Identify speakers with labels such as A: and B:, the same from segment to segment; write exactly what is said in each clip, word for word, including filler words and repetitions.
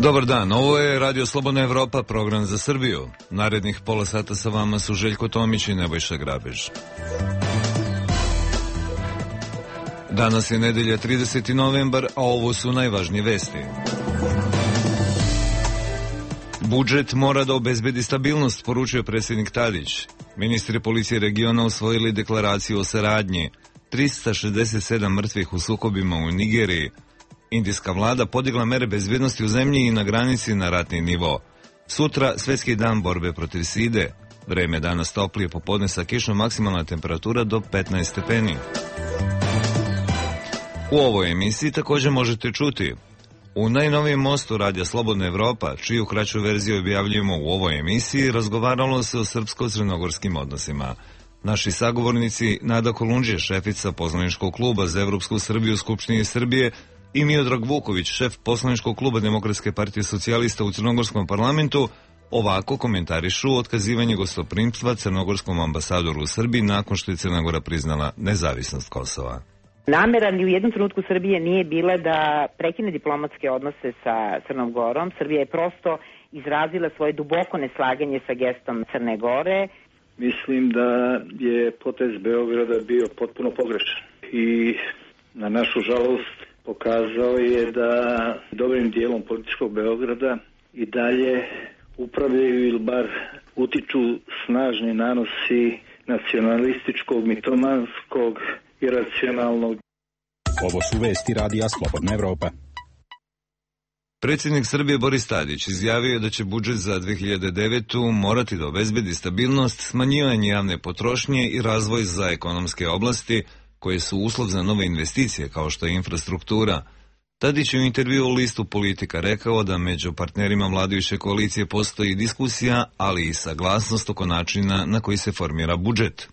A: Dobar dan, ovo je Radio Slobodna Evropa, program za Srbiju. Narednih pola sata sa vama su Željko Tomić i Nebojša Grabež. Danas je nedelja trideseti novembar, a ovo su najvažnije vesti. Budžet mora da obezbedi stabilnost, poručio predsjednik Tadić. Ministri policije regiona usvojili deklaraciju o saradnji. trista šezdeset sedam mrtvih u sukobima u Nigeriji. Indijska vlada podigla mere bezbjednosti u zemlji i na granici na ratni nivo. Sutra Svjetski dan borbe protiv side. Vreme danas toplije, popodne sa kišom, maksimalna temperatura do petnaest stepeni. U ovoj emisiji također možete čuti: u najnovijem mostu Radija Slobodna Evropa, čiju kraću verziju objavljujemo u ovoj emisiji, razgovaralo se o srpsko-crnogorskim odnosima. Naši sagovornici Nada Kolundžija, šefica poslaničkog kluba za Evropsku Srbiju u Skupštini Srbije, i Miodrag Vuković, šef poslaničkog kluba Demokratske partije socijalista u Crnogorskom parlamentu, ovako komentarišu otkazivanje gostoprimstva crnogorskom ambasadoru u Srbiji nakon što je Crna Gora priznala nezavisnost Kosova.
B: Namera ni u jednom trenutku Srbije nije bila da prekine diplomatske odnose sa Crnom Gorom. Srbija je prosto izrazila svoje duboko neslaganje sa gestom Crne Gore.
C: Mislim da je potez Beograda bio potpuno pogrešan i na našu žalost pokazao je da dobrim dijelom političkog Beograda i dalje upravljaju ili bar utiču snažni nanosi nacionalističkog, mitomanskog, iracionalnog.
D: Ovo su vesti Radija Slobodna Evropa.
A: Predsjednik Srbije Boris Tadić izjavio je da će budžet za dve hiljade devetu. morati da obezbedi stabilnost, smanjivanje javne potrošnje i razvoj za ekonomske oblasti koje su uslov za nove investicije kao što je infrastruktura. Tadić je u intervju u listu Politika rekao da među partnerima vladajuće koalicije postoji diskusija, ali i saglasnost oko načina na koji se formira budžet.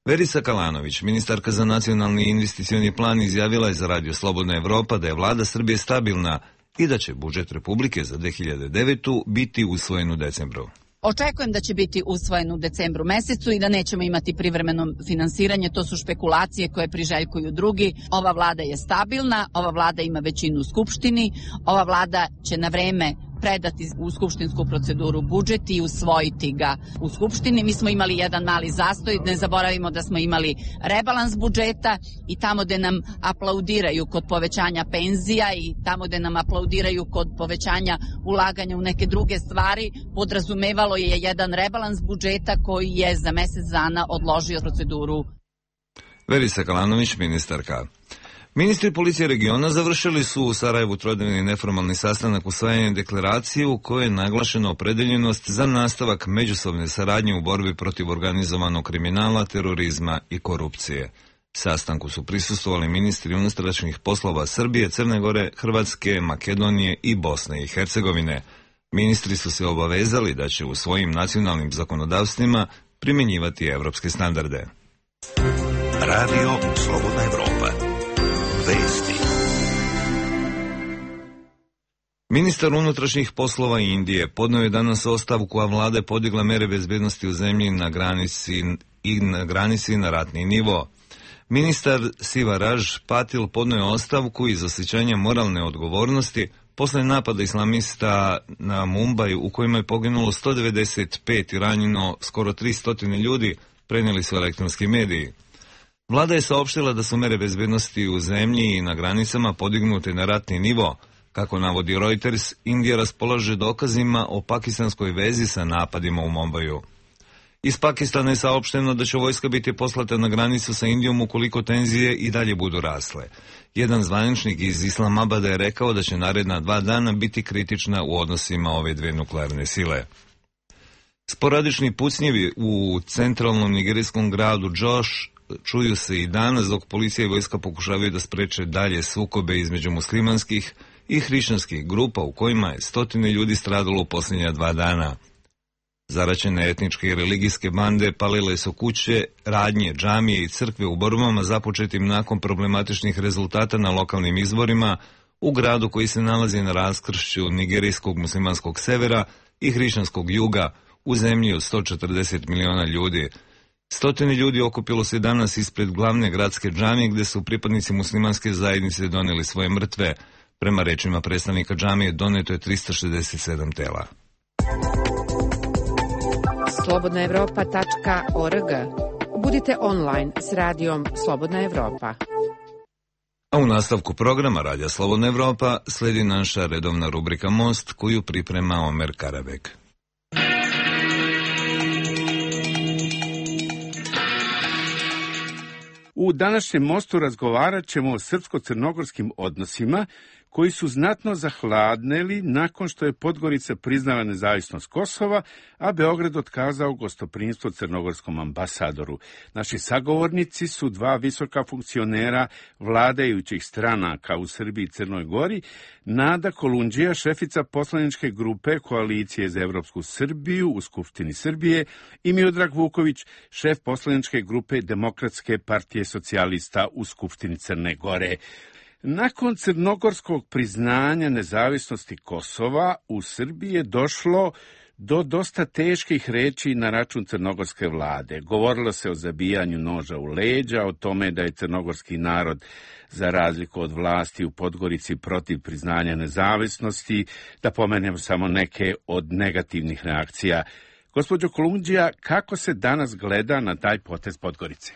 A: Verica Kalanović, ministarka za nacionalni investicioni plan, izjavila je za Radio Slobodna Evropa da je vlada Srbije stabilna i da će budžet Republike za dve hiljade devetu. biti usvojen u decembru.
E: Očekujem da će biti usvojen u decembru mesecu i da nećemo imati privremeno finansiranje, to su špekulacije koje priželjkuju drugi. Ova vlada je stabilna, ova vlada ima većinu u Skupštini, ova vlada će na vreme predati u skupštinsku proceduru budžet i usvojiti ga u Skupštini. Mi smo imali jedan mali zastoj, ne zaboravimo da smo imali rebalans budžeta i tamo gde nam aplaudiraju kod povećanja penzija i tamo gde nam aplaudiraju kod povećanja ulaganja u neke druge stvari, podrazumevalo je jedan rebalans budžeta koji je za mesec dana odložio proceduru.
A: Verica Kalanović, ministarka. Ministri policije regiona završili su u Sarajevu trodnevni neformalni sastanak usvajanja deklaracije u kojoj je naglašena opredeljenost za nastavak međusobne saradnje u borbi protiv organizovanog kriminala, terorizma i korupcije. Sastanku su prisustvovali ministri unutrašnjih poslova Srbije, Crne Gore, Hrvatske, Makedonije i Bosne i Hercegovine. Ministri su se obavezali da će u svojim nacionalnim zakonodavstvima primjenjivati evropske standarde.
F: Radio Slobodna Evropa. Vesti.
A: Ministar unutrašnjih poslova Indije podneo je danas ostavku, a vlada je podigla mere bezbjednosti u zemlji na granici i na granici na ratni nivo. Ministar Sivaraj Patil podneo je ostavku iz osjećanja moralne odgovornosti posle napada islamista na Mumbai u kojima je poginulo sto devedeset pet i ranjeno skoro tristo ljudi, prenijeli su elektronski mediji. Vlada je saopštila da su mere bezbjednosti u zemlji i na granicama podignute na ratni nivo. Kako navodi Reuters, Indija raspolaže dokazima o pakistanskoj vezi sa napadima u Mumbaju. Iz Pakistana je saopšteno da će vojska biti poslata na granicu sa Indijom ukoliko tenzije i dalje budu rasle. Jedan zvaničnik iz Islamabada je rekao da će naredna dva dana biti kritična u odnosima ove dve nuklearne sile. Sporadični pucnjevi u centralnom nigerijskom gradu Jos čuju se i danas dok policija i vojska pokušavaju da spreče dalje sukobe između muslimanskih i hrišćanskih grupa u kojima je stotine ljudi stradalo u posljednja dva dana. Zaraćene etničke i religijske bande palile su kuće, radnje, džamije i crkve u borbama započetim nakon problematičnih rezultata na lokalnim izborima u gradu koji se nalazi na raskršću nigerijskog muslimanskog severa i hrišćanskog juga u zemlji od sto četrdeset miliona ljudi. Stotine ljudi okupilo se danas ispred glavne gradske džamije gdje su pripadnici muslimanske zajednice donijeli svoje mrtve. Prema rečima predstavnika džamije doneto je tristo šezdeset sedam tela.
G: slobodna evropa tačka org. Budite online s radijom Slobodna Evropa.
A: A u nastavku programa Radija Slobodna Evropa sledi naša redovna rubrika Most koju priprema Omer Karabek.
H: U današnjem Mostu razgovarat ćemo o srpsko-crnogorskim odnosima koji su znatno zahladneli nakon što je Podgorica priznala nezavisnost Kosova, a Beograd otkazao gostoprimstvo crnogorskom ambasadoru. Naši sagovornici su dva visoka funkcionera vladajućih stranaka u Srbiji i Crnoj Gori, Nada Kolundžija, šefica poslaničke grupe Koalicije za Evropsku Srbiju u Skupštini Srbije, i Miodrag Vuković, šef poslaničke grupe Demokratske partije socijalista u Skupštini Crne Gore. Nakon crnogorskog priznanja nezavisnosti Kosova, u Srbiji je došlo do dosta teških reči na račun crnogorske vlade. Govorilo se o zabijanju noža u leđa, o tome da je crnogorski narod, za razliku od vlasti u Podgorici, protiv priznanja nezavisnosti, da pomenem samo neke od negativnih reakcija. Gospođo Kolundžija, kako se danas gleda na taj potez Podgorice?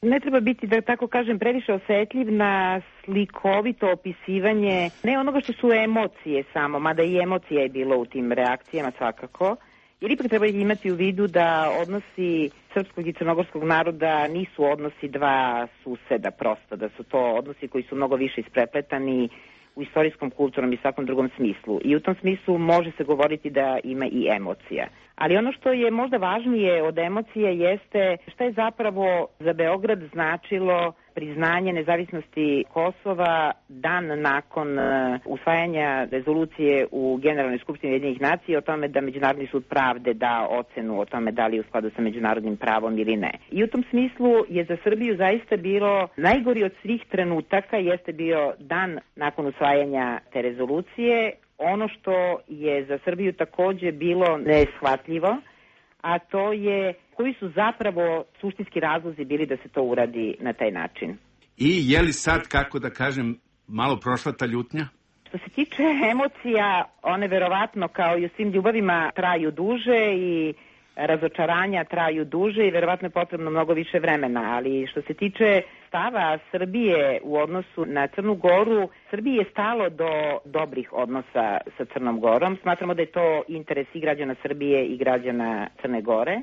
B: Ne treba biti, da tako kažem, previše osetljiv na slikovito opisivanje ne onoga što su emocije samo, mada i emocija je bilo u tim reakcijama svakako, jer ipak treba imati u vidu da odnosi srpskog i crnogorskog naroda nisu odnosi dva suseda prosto, da su to odnosi koji su mnogo više isprepletani u istorijskom, kulturnom i svakom drugom smislu. I u tom smislu može se govoriti da ima i emocija. Ali ono što je možda važnije od emocije jeste šta je zapravo za Beograd značilo priznanje nezavisnosti Kosova dan nakon uh, usvajanja rezolucije u Generalnoj skupštini Ujedinjenih nacija o tome da Međunarodni sud pravde da ocenu o tome da li je u skladu sa međunarodnim pravom ili ne. I u tom smislu je za Srbiju zaista bilo najgori od svih trenutaka jeste bio dan nakon usvajanja te rezolucije. Ono što je za Srbiju takođe bilo neshvatljivo, a to je koji su zapravo suštinski razlozi bili da se to uradi na taj način.
H: I je li sad, kako da kažem, malo prošla ta ljutnja?
B: Što se tiče emocija, one verovatno kao i u svim ljubavima traju duže i razočaranja traju duže i verovatno je potrebno mnogo više vremena, ali što se tiče stava Srbije u odnosu na Crnu Goru, Srbiji je stalo do dobrih odnosa sa Crnom Gorom. Smatramo da je to interes i građana Srbije i građana Crne Gore.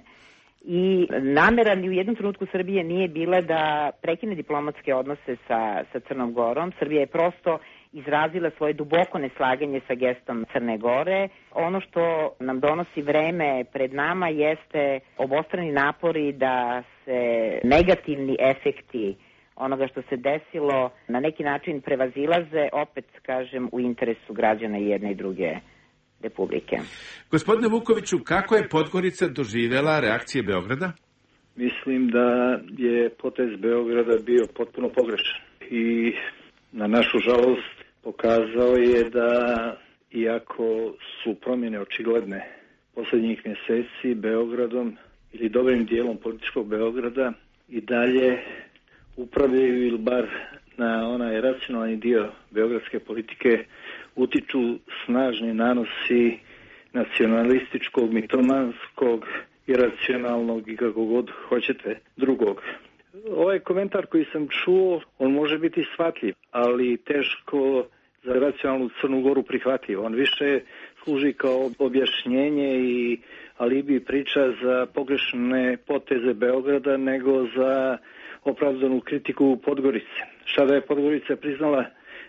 B: I namera ni u jednom trenutku Srbije nije bila da prekine diplomatske odnose sa, sa Crnom Gorom. Srbija je prosto izrazila svoje duboko neslaganje sa gestom Crne Gore. Ono što nam donosi vreme pred nama jeste obostrani napori da se negativni efekti onoga što se desilo na neki način prevazilaze, opet kažem, u interesu građana i jedne i druge republike.
H: Gospodine Vukoviću, kako je Podgorica doživjela reakcije Beograda?
C: Mislim da je potez Beograda bio potpuno pogrešan i na našu žalost pokazao je da, iako su promjene očigledne posljednjih mjeseci Beogradom ili dobrim dijelom političkog Beograda, i dalje upravljaju ili bar na onaj racionalni dio beogradske politike utiču snažni nanosi nacionalističkog, mitomanskog, iracionalnog i kako god hoćete drugog. Ovaj komentar koji sam čuo, on može biti shvatljiv, ali teško za racionalnu Crnu Goru prihvatljiv. On više služi kao objašnjenje i alibi priča za pogrešne poteze Beograda nego za opravdanu kritiku Podgorice. Šta da je Podgorica priznala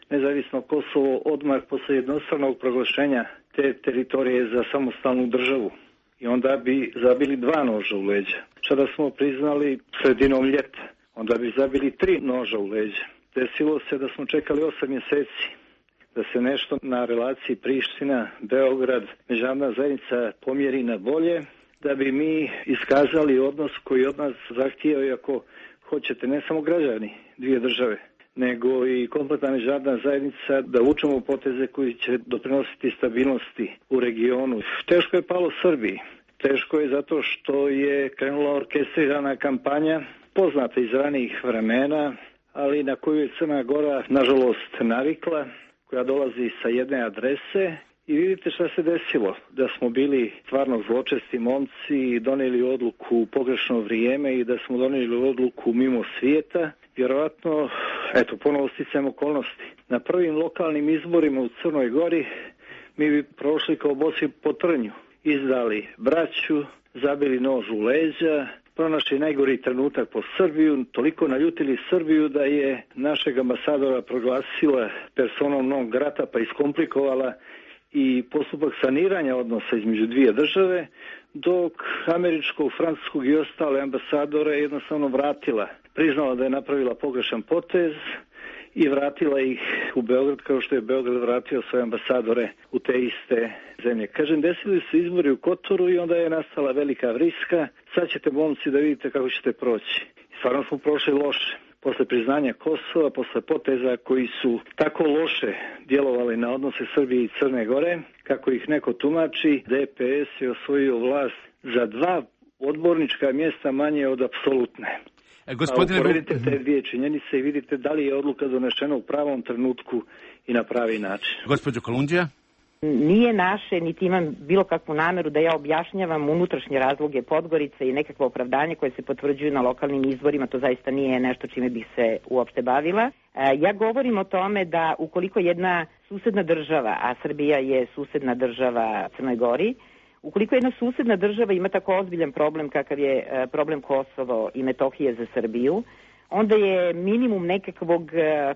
C: nezavisno Kosovo odmah posle jednostranog proglašenja te teritorije za samostalnu državu. I onda bi zabili dva noža u leđa. Šta da smo priznali sredinom ljeta, onda bi zabili tri noža u leđa. Desilo se da smo čekali osam mjeseci da se nešto na relaciji Priština, Beograd, međunarodna zajednica pomjeri na bolje, da bi mi iskazali odnos koji od nas zahtijeva, i ako hoćete, ne samo građani dvije države, nego i kompletna međunarodna zajednica, da vučemo poteze koji će doprinositi stabilnosti u regionu. Teško je palo Srbiji. Teško je zato što je krenula orkestrirana kampanja, poznata iz ranijih vremena, ali na koju je Crna Gora, nažalost, navikla. koja dolazi sa jedne adrese i vidite šta se desilo. Da smo bili stvarno zločesti momci i donijeli odluku u pogrešno vrijeme i da smo donijeli odluku mimo svijeta. Vjerovatno, eto, ponovo sticajem okolnosti. Na prvim lokalnim izborima u Crnoj Gori mi bi prošli kao bosi po trnju. Izdali braću, zabili nož u leđa, pronašli najgori trenutak po Srbiju, toliko naljutili Srbiju da je našeg ambasadora proglasila personom non grata pa iskomplikovala i postupak saniranja odnosa između dvije države, dok američkog, francuskog i ostale ambasadore jednostavno vratila. Priznala da je napravila pogrešan potez i vratila ih u Beograd kao što je Beograd vratio svoje ambasadore u te iste zemlje. Kažem, desili su izbori u Kotoru i onda je nastala velika vriska. Sad ćete, momci, da vidite kako ćete proći. Stvarno smo prošli loše. Posle priznanja Kosova, posle poteza koji su tako loše djelovali na odnose Srbije i Crne Gore, kako ih neko tumači, D P S je osvojio vlast za dva odbornička mjesta manje od apsolutne.
H: E, gospodine...
C: A uporedite te dvije činjenice i vidite da li je odluka donešena u pravom trenutku i na pravi način.
H: Gospođo Kolundžija?
B: Nije naše, niti imam bilo kakvu nameru da ja objašnjavam unutrašnje razloge Podgorice i nekakvo opravdanje koje se potvrđuju na lokalnim izborima, to zaista nije nešto čime bih se uopšte bavila. Ja govorim o tome da ukoliko jedna susedna država, a Srbija je susedna država Crnoj Gori, ukoliko jedna susedna država ima tako ozbiljan problem kakav je problem Kosovo i Metohije za Srbiju, onda je minimum nekakvog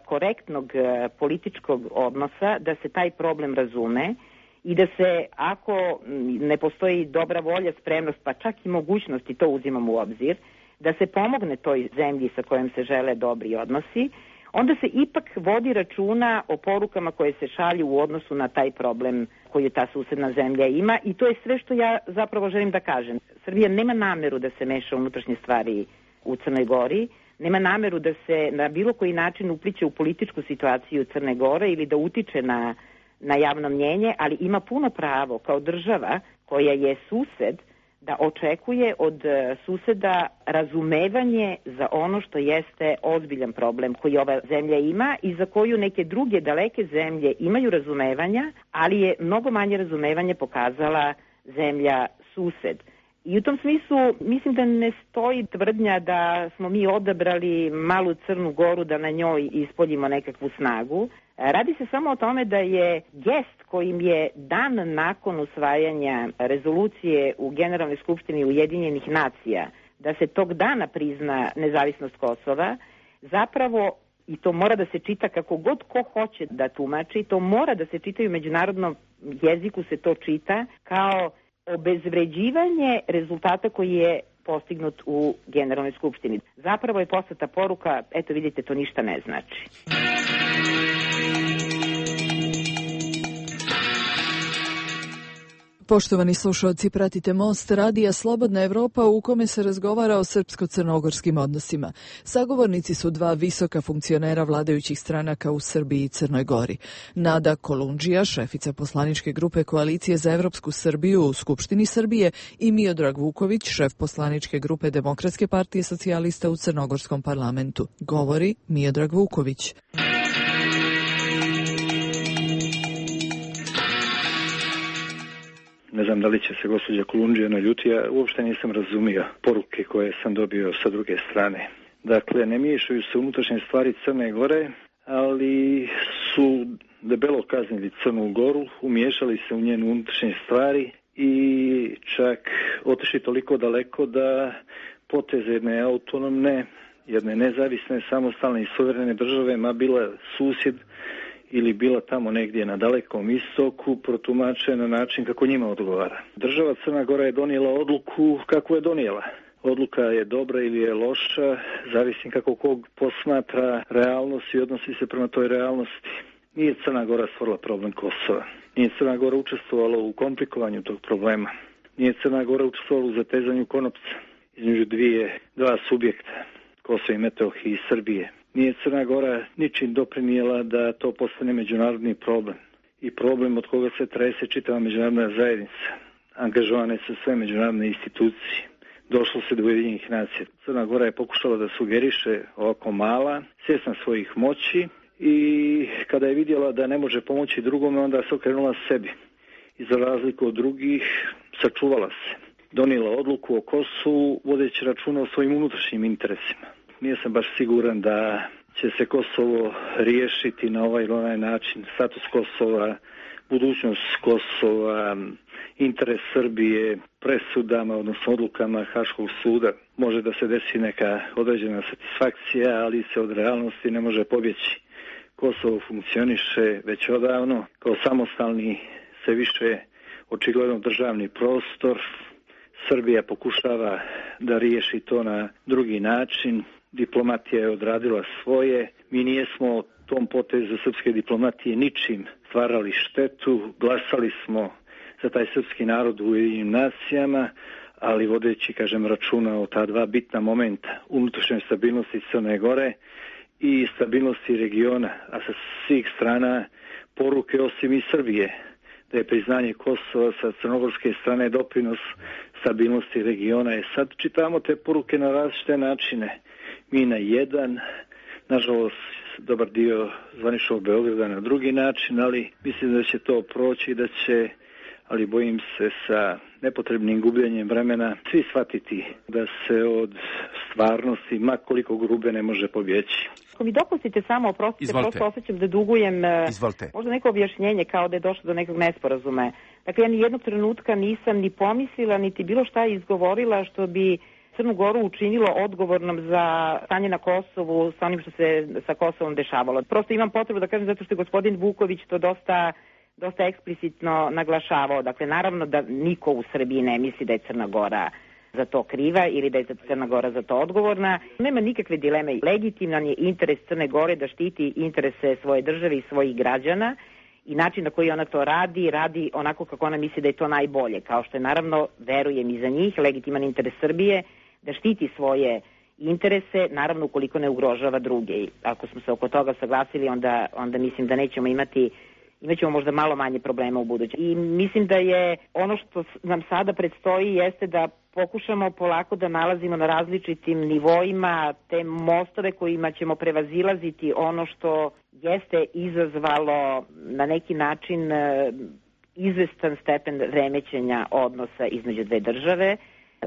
B: korektnog političkog odnosa da se taj problem razume i da se, ako ne postoji dobra volja, spremnost, pa čak i mogućnost, i to uzimamo u obzir, da se pomogne toj zemlji sa kojom se žele dobri odnosi, onda se ipak vodi računa o porukama koje se šalju u odnosu na taj problem koju ta susedna zemlja ima i to je sve što ja zapravo želim da kažem. Srbija nema nameru da se meša unutrašnje stvari u Crnoj Gori, nema nameru da se na bilo koji način upliće u političku situaciju Crne Gore ili da utiče na, na javno mnjenje, ali ima puno pravo kao država koja je sused da očekuje od suseda razumevanje za ono što jeste ozbiljan problem koji ova zemlja ima i za koju neke druge daleke zemlje imaju razumevanja, ali je mnogo manje razumevanje pokazala zemlja sused. I u tom smislu mislim da ne stoji tvrdnja da smo mi odabrali malu Crnu Goru da na njoj ispoljimo nekakvu snagu. Radi se samo o tome da je gest kojim je dan nakon usvajanja rezolucije u Generalnoj skupštini Ujedinjenih nacija da se tog dana prizna nezavisnost Kosova, zapravo, i to mora da se čita kako god ko hoće da tumači, to mora da se čita i u međunarodnom jeziku se to čita kao obezvređivanje rezultata koji je postignut u Generalnoj skupštini. Zapravo je poslata poruka, eto vidite, to ništa ne znači.
I: Poštovani slušalci, pratite Most radija Slobodna Evropa u kome se razgovara o srpsko-crnogorskim odnosima. Sagovornici su dva visoka funkcionera vladajućih stranaka u Srbiji i Crnoj Gori. Nada Kolundžija, šefica poslaničke grupe Koalicije za Evropsku Srbiju u Skupštini Srbije i Miodrag Vuković, šef poslaničke grupe Demokratske partije socijalista u Crnogorskom parlamentu. Govori Miodrag Vuković.
C: Ne znam da li će se gospođa Kolundžija naljuti, ja uopšte nisam razumio poruke koje sam dobio sa druge strane. Dakle, ne miješaju se unutrašnje stvari Crne Gore, ali su debelo kaznili Crnu Goru, umiješali se u njenu unutrašnje stvari i čak otišli toliko daleko da poteze jedne autonomne, jedne nezavisne, samostalne i suverene države, ma bila susjed ili bila tamo negdje na dalekom istoku, protumače na način kako njima odgovara. Država Crna Gora je donijela odluku kako je donijela. Odluka je dobra ili je loša, zavisi kako kog posmatra realnost i odnosi se prema toj realnosti. Nije Crna Gora stvorila problem Kosova. Nije Crna Gora učestvovala u komplikovanju tog problema. Nije Crna Gora učestvovala u zatezanju konopca između dvije, dva subjekta, Kosova i Metohije i Srbije. Nije Crna Gora ničim doprinijela da to postane međunarodni problem i problem od koga se trese čitava međunarodna zajednica. Angažovane su sve međunarodne institucije. Došlo se do Ujedinjenih nacija. Crna Gora je pokušala da sugeriše ovako mala, svjesna svojih moći i kada je vidjela da ne može pomoći drugome, onda se okrenula sebi. I za razliku od drugih, sačuvala se. Donijela odluku o Kosovu, vodeći računa o svojim unutrašnjim interesima. Nije sam baš siguran da će se Kosovo riješiti na ovaj ili onaj način. Status Kosova, budućnost Kosova, interes Srbije, presudama, odnosno odlukama Haškog suda. Može da se desi neka određena satisfakcija, ali se od realnosti ne može pobjeći. Kosovo funkcioniše već odavno, kao samostalni se više očigledno državni prostor. Srbija pokušava da riješi to na drugi način. Diplomatija je odradila svoje. Mi nijesmo tom potezu srpske diplomatije ničim stvarali štetu. Glasali smo za taj srpski narod u Ujedinjenim nacijama, ali vodeći, kažem, računa o ta dva bitna momenta, unutrašnjoj stabilnosti Crne Gore i stabilnosti regiona, a sa svih strana poruke osim i Srbije, da je priznanje Kosova sa crnogorske strane doprinos stabilnosti regiona. Je sad čitamo te poruke na različite načine. Mi na jedan, nažalost dobar dio zvaničnog Beograda na drugi način, ali mislim da će to proći i da će, ali bojim se sa nepotrebnim gubljenjem vremena, svi shvatiti da se od stvarnosti, ma koliko grube, ne može pobjeći.
B: Ako mi dopustite samo, oprostite,
H: Izvolite.
B: prosto osjećam da dugujem
H: Izvolite.
B: možda neko objašnjenje kao da je došlo do nekog nesporazuma. Dakle, ja ni jednog trenutka nisam ni pomislila, niti bilo šta izgovorila što bi Crnu Goru učinilo odgovornom za stanje na Kosovu sa onim što se sa Kosovom dešavalo. Prosto imam potrebu da kažem zato što je gospodin Vuković to dosta dosta eksplicitno naglašavao. Dakle, naravno da niko u Srbiji ne misli da je Crna Gora za to kriva ili da je Crna Gora za to odgovorna. Nema nikakve dileme. Legitiman je interes Crne Gore da štiti interese svoje države i svojih građana i način na koji ona to radi, radi onako kako ona misli da je to najbolje. Kao što je, naravno, verujem i za njih, legitiman interes Srbije da štiti svoje interese, naravno ukoliko ne ugrožava druge. I ako smo se oko toga saglasili, onda, onda mislim da nećemo imati imaćemo možda malo manje problema u buduće. I mislim da je ono što nam sada predstoji jeste da pokušamo polako da nalazimo na različitim nivoima te mostove kojima ćemo prevazilaziti ono što jeste izazvalo na neki način izvestan stepen remećenja odnosa između dve države.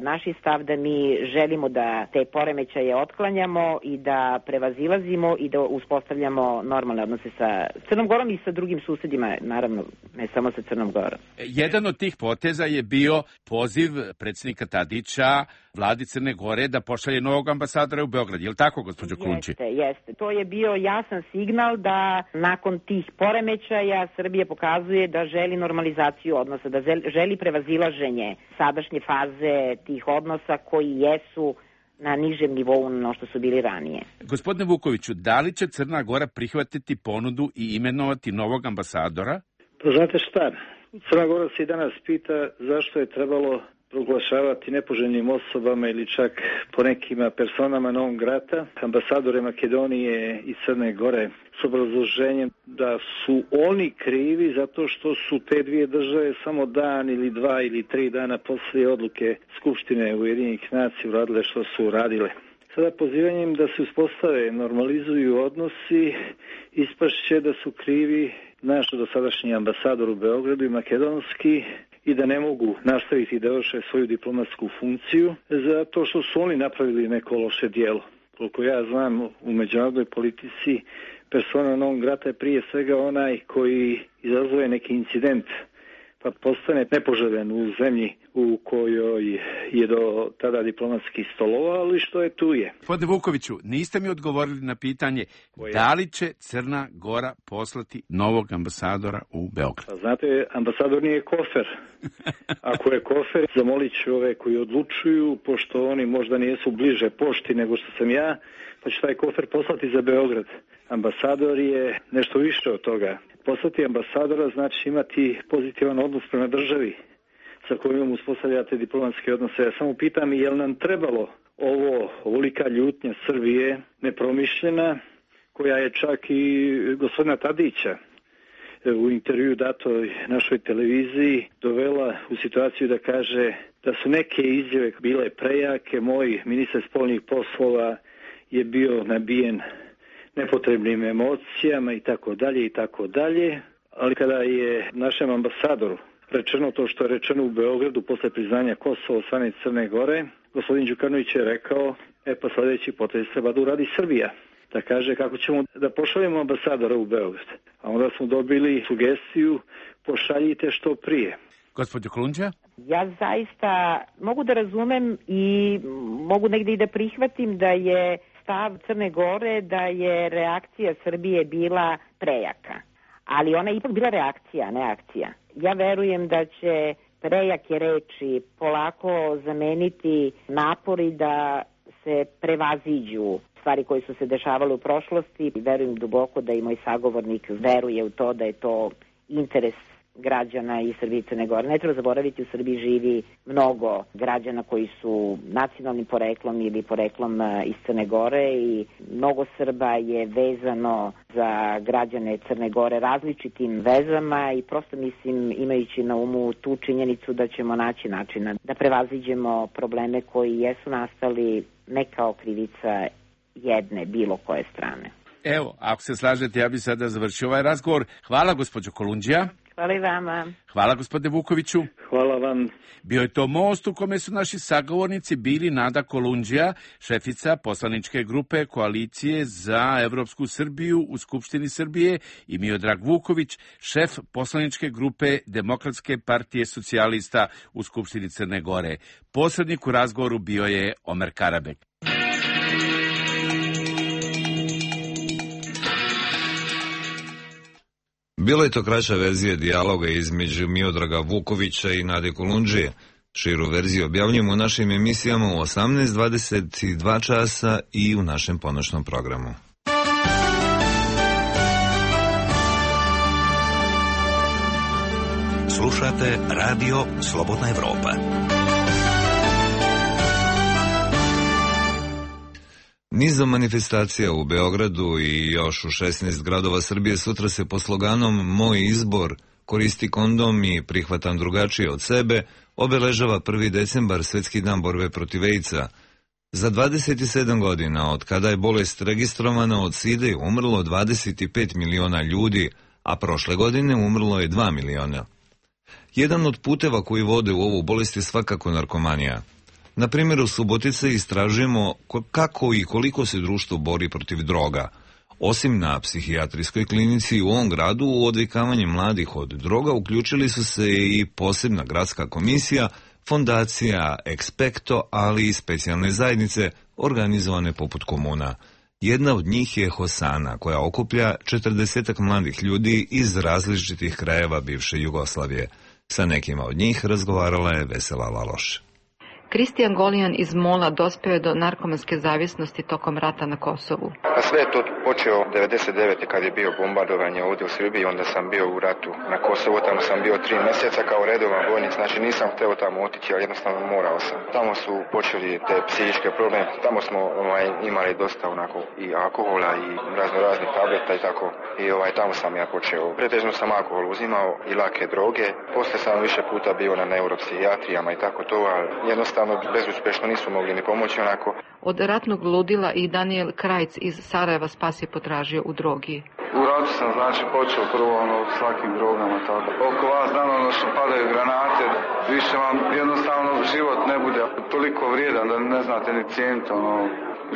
B: Naš je stav da mi želimo da te poremećaje otklanjamo i da prevazilazimo i da uspostavljamo normalne odnose sa Crnom Gorom i sa drugim susedima, naravno, ne samo sa Crnom Gorom.
H: Jedan od tih poteza je bio poziv predsjednika Tadića vladi Crne Gore da pošalje novog ambasadora u Beograd. Je li tako, gospođo Krunči?
B: Jeste, jeste. To je bio jasan signal da nakon tih poremećaja Srbija pokazuje da želi normalizaciju odnosa, da želi prevazilaženje sadašnje faze tih odnosa koji jesu na nižem nivou no što su bili ranije.
H: Gospodine Vukoviću, da li će Crna Gora prihvatiti ponudu i imenovati novog ambasadora?
C: Pa znate šta, Crna Gora se i danas pita zašto je trebalo proglašavati nepoželjnim osobama ili čak po nekima personama non grata ambasadore Makedonije i Crne Gore s obrazloženjem da su oni krivi zato što su te dvije države samo dan ili dva ili tri dana poslije odluke Skupštine Ujedinjenih nacija uradile što su uradile. Sada pozivanjem da se uspostave, normalizuju odnosi, ispašće da su krivi naš dosadašnji ambasador u Beogradu i makedonski i da ne mogu nastaviti da vrše svoju diplomatsku funkciju zato što su oni napravili neko loše djelo. Koliko ja znam, u međunarodnoj politici persona non grata je prije svega onaj koji izazove neki incident pa postane nepoželjen u zemlji u kojoj je do tada diplomatski stolovao, ali što je tu je.
H: Gospodine Vukoviću, niste mi odgovorili na pitanje Koje? da li će Crna Gora poslati novog ambasadora u Beograd?
C: Pa znate, ambasador nije kofer. Ako je kofer, zamolit ću ove koji odlučuju, pošto oni možda nijesu bliže pošti nego što sam ja, pa će taj kofer poslati za Beograd. Ambasador je nešto više od toga. Poslati ambasadora znači imati pozitivan odnos prema državi sa kojom uspostavljate diplomatske odnose. Ja samo pitam, je li nam trebalo ovo, ovolika ljutnja Srbije, nepromišljena, koja je čak i gospodina Tadića u intervju datoj našoj televiziji dovela u situaciju da kaže da su neke izjave bile prejake. Moj ministar spoljnih poslova je bio nabijen nepotrebnim emocijama i tako dalje i tako dalje. Ali kada je našem ambasadoru rečeno to što je rečeno u Beogradu posle priznanja Kosova od strane Crne Gore, gospodin Đukanović je rekao, e pa sljedeći potez treba da uradi Srbija. Da kaže kako ćemo da pošaljemo ambasadora u Beograd. A onda smo dobili sugestiju, pošaljite što prije.
H: Gospođo Kolundžija?
B: Ja zaista mogu da razumem i mogu negde i da prihvatim da je stav Crne Gore da je reakcija Srbije bila prejaka. Ali ona je ipak bila reakcija, ne akcija. Ja verujem da će prejake reči polako zameniti napori da se prevaziđu stvari koje su se dešavale u prošlosti. Verujem duboko da i moj sagovornik veruje u to da je to interes građana i Srbije i Crne Gore. Ne treba zaboraviti, u Srbiji živi mnogo građana koji su nacionalnim poreklom ili poreklom iz Crne Gore i mnogo Srba je vezano za građane Crne Gore različitim vezama i prosto mislim, imajući na umu tu činjenicu da ćemo naći načina da prevaziđemo probleme koji jesu nastali ne kao krivica jedne, bilo koje strane.
H: Evo, ako se slažete, ja bih sada završio ovaj razgovor. Hvala, gospođo Kolundžija.
B: Hvala i vama.
H: Hvala, gospodine Vukoviću.
C: Hvala vam.
H: Bio je to most u kome su naši sagovornici bili Nada Kolundžija, šefica poslaničke grupe Koalicije za Evropsku Srbiju u Skupštini Srbije, i Miodrag Vuković, šef poslaničke grupe Demokratske partije socijalista u Skupštini Crne Gore. Posrednik u razgovoru bio je Omer Karabek.
A: Bila je to kraća verzija dijaloga između Miodraga Vukovića i Nade Kolundžije. Širu verziju objavljujemo u našim emisijama u osamnaest dvadeset dva časa i u našem ponoćnom programu.
F: Slušate Radio Slobodna Evropa.
A: Nizom manifestacija u Beogradu i još u šesnaest gradova Srbije sutra se po sloganom Moj izbor, koristi kondom i prihvatam drugačije od sebe obeležava prvi decembar, Svetski dan borbe protiv AIDS-a. Za dvadeset sedam godina od kada je bolest registrovana od side je umrlo dvadeset pet miliona ljudi, a prošle godine umrlo je dva miliona. Jedan od puteva koji vode u ovu bolest je svakako narkomanija. Na primjer, u Subotici istražujemo kako i koliko se društvo bori protiv droga. Osim na psihijatrijskoj klinici u ovom gradu, u odvikavanje mladih od droga uključili su se i posebna gradska komisija, fondacija Expecto, ali i specijalne zajednice organizovane poput komuna. Jedna od njih je Hosana, koja okuplja četrdesetak mladih ljudi iz različitih krajeva bivše Jugoslavije. Sa nekima od njih razgovarala je Vesela Laloš.
J: Kristijan Golijan iz Mola dospeo je do narkomanske zavisnosti tokom rata na Kosovu.
K: A sve je to počeo devedeset devete kad je bio bombardovanje ovdje u Srbiji, onda sam bio u ratu na Kosovu, tamo sam bio tri mjeseca kao redovan vojnik, znači nisam hteo tamo otići, ali jednostavno morao sam. Tamo su počeli te psihičke probleme, tamo smo ovaj, imali dosta onako i alkohola i razno raznih tableta i tako, i ovaj, tamo sam ja počeo. Pretežno sam alkohol uzimao i lake droge, poslije sam više puta bio na neuropsihijatrijama i tako to, ali jednostavno bezuspešno nisu mogli ni pomoći onako.
J: Od ratnog ludila i Daniel Krajc iz Sarajeva spas je potražio u drogi.
L: U ratu sam znači počeo prvo ono svakim drogama tako. Oko vas dano ono što padaju granate, više vam jednostavno život ne bude toliko vrijedan da ne znate ni cijeniti ono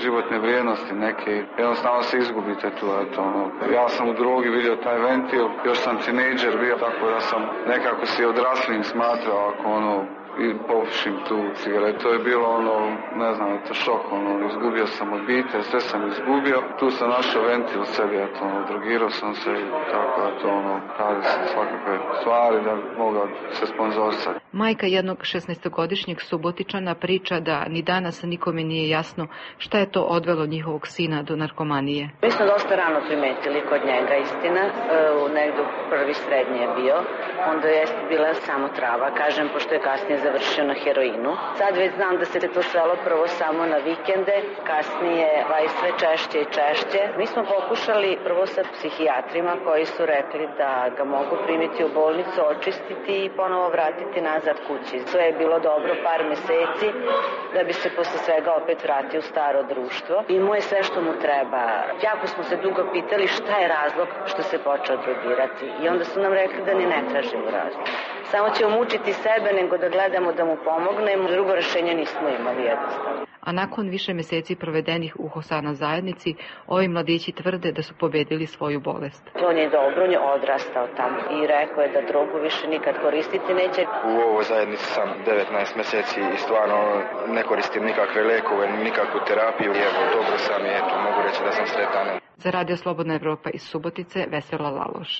L: životne vrijednosti neke, jednostavno se izgubite tu, eto, ono. Ja sam u drogi vidio taj ventil, još sam tinejdžer bio, tako da sam nekako si odraslim smatrao ako ono i popušim tu cigaretu. To je bilo ono, ne znam, to šok, ono, izgubio sam obitelj, sve sam izgubio. Tu sam našao ventil u sebi, eto, ono, drogirao sam se i tako, eto, ono, radi se svakakve stvari da mogao se sponzorisati.
J: Majka jednog šesnaestogodišnjeg Subotičana priča da ni danas nikome nije jasno šta je to odvelo njihovog sina do narkomanije.
M: Mi smo dosta rano primetili kod njega, istina, u negdje prvi srednji je bio, onda je bila samo trava, kažem, pošto je kasnije završio na heroinu. Sad već znam da se to svelo prvo samo na vikende, kasnije va i sve češće i češće. Mi smo pokušali prvo sa psihijatrima koji su rekli da ga mogu primiti u bolnicu, očistiti i ponovo vratiti nazad kući. Sve je bilo dobro par meseci da bi se posle svega opet vratio u staro društvo. Imao je sve što mu treba. Jako smo se dugo pitali šta je razlog što se počeo drogirati i onda su nam rekli da ni ne tražimo razlog. Samo ćemo mučiti sebe nego da gledamo da mu pomognemo, drugo rešenje nismo imali jednostavno.
J: A nakon više meseci provedenih u Hosana zajednici, ovi mladići tvrde da su pobedili svoju bolest.
M: On je dobro, on je odrastao tamo i rekao je da drogu više nikad koristiti neće.
K: U ovoj zajednici sam devetnaest meseci i stvarno ne koristim nikakve lekove, nikakvu terapiju. I evo, dobro sam i eto, mogu reći da sam sretan.
J: Za Radio Slobodna Evropa iz Subotice, Vesela Laloš.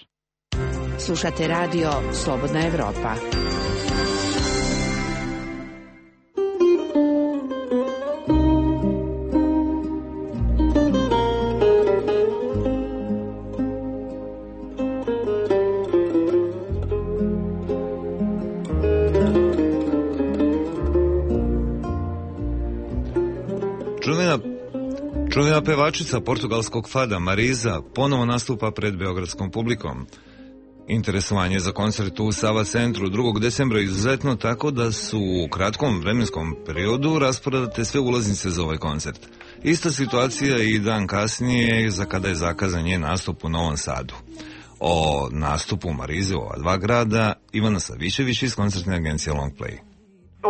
G: Slušate Radio Slobodna Evropa.
A: Čuvena, čuvena pevačica portugalskog fada Marisa ponovo nastupa pred beogradskom publikom. Interesovanje za koncert u Sava centru drugog decembra izuzetno, tako da su u kratkom vremenskom periodu rasporedate sve ulaznice za ovaj koncert. Ista situacija i dan kasnije za kada je zakazan njen nastup u Novom Sadu. O nastupu Marize u ova dva grada Ivana Savićević iz koncertne agencije Long Play.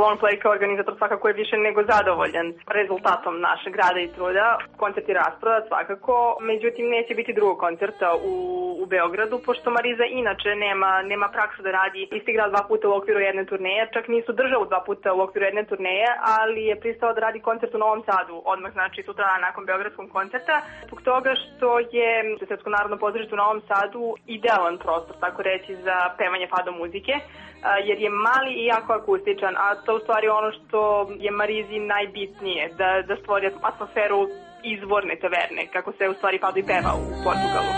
N: Longplay kao organizator svakako je više nego zadovoljan rezultatom našeg rada i truda. Koncert je rasprodat svakako, međutim neće biti drugog koncerta u, u Beogradu, pošto Mariza inače nema, nema praksu da radi isti grad dva puta u okviru jedne turneje, čak nisu državu dva puta u okviru jedne turneje, ali je pristao da radi koncert u Novom Sadu, odmah znači sutra nakon beogradskog koncerta, zbog toga što je Srpsko narodno pozorište u Novom Sadu idealan prostor, tako reći, za pevanje fado muzike, jer je mali i jako akustičan, a to u stvari ono što je Marizi najbitnije, da, da stvori atmosferu izvorne taverne, kako se u stvari fado i peva u Portugalu.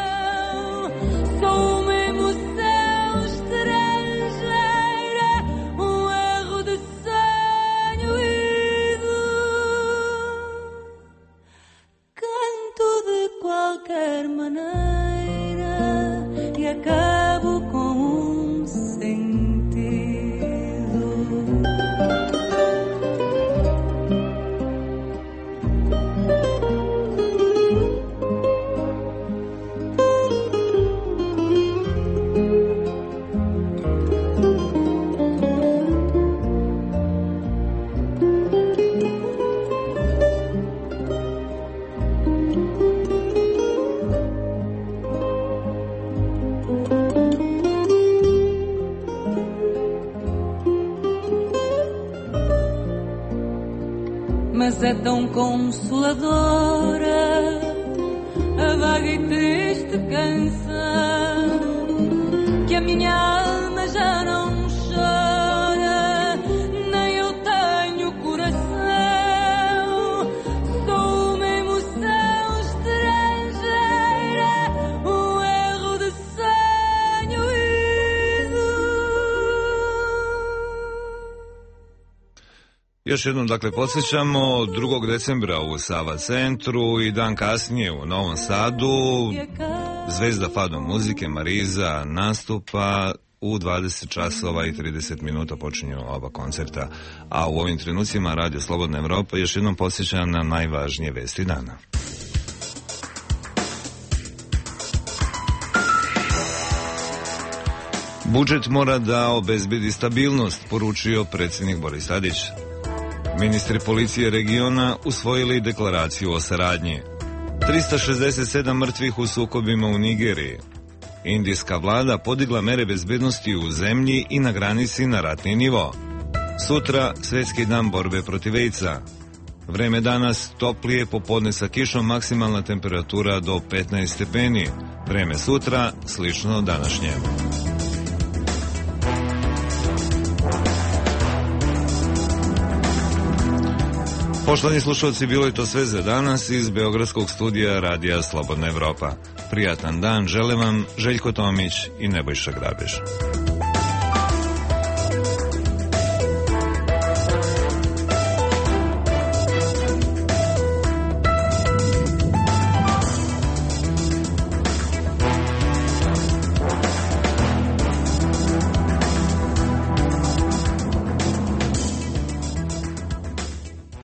O: Qualquer maneira e acabo com um sentido. Mas é tão consoladora a vaga e triste canção que a minha alma já não chora, nem eu tenho coração. Sou uma emoção estrangeira, um erro de sonho ido.
A: Još jednom, dakle, podsjećamo, drugog decembra u Sava centru i dan kasnije u Novom Sadu zvezda fado muzike Mariza nastupa u dvadeset časova i trideset minuta počinju oba koncerta, a u ovim trenucima Radio Slobodna Evropa još jednom podsjeća na najvažnije vesti dana. Budžet mora da obezbedi stabilnost, poručio predsjednik Boris Tadić. Ministri policije regiona usvojili deklaraciju o saradnji. trista šezdeset sedam mrtvih u sukobima u Nigeriji. Indijska vlada podigla mere bezbednosti u zemlji i na granici na ratni nivo. Sutra Svjetski dan borbe protiv AIDS-a. Vreme danas toplije, popodne sa kišom, maksimalna temperatura do petnaest stepeni. Vreme sutra slično današnjem. Poštovani slušalci, bilo je to sve za danas iz beogradskog studija Radija Slobodna Evropa. Prijatan dan žele vam Željko Tomić i Nebojša Grabež.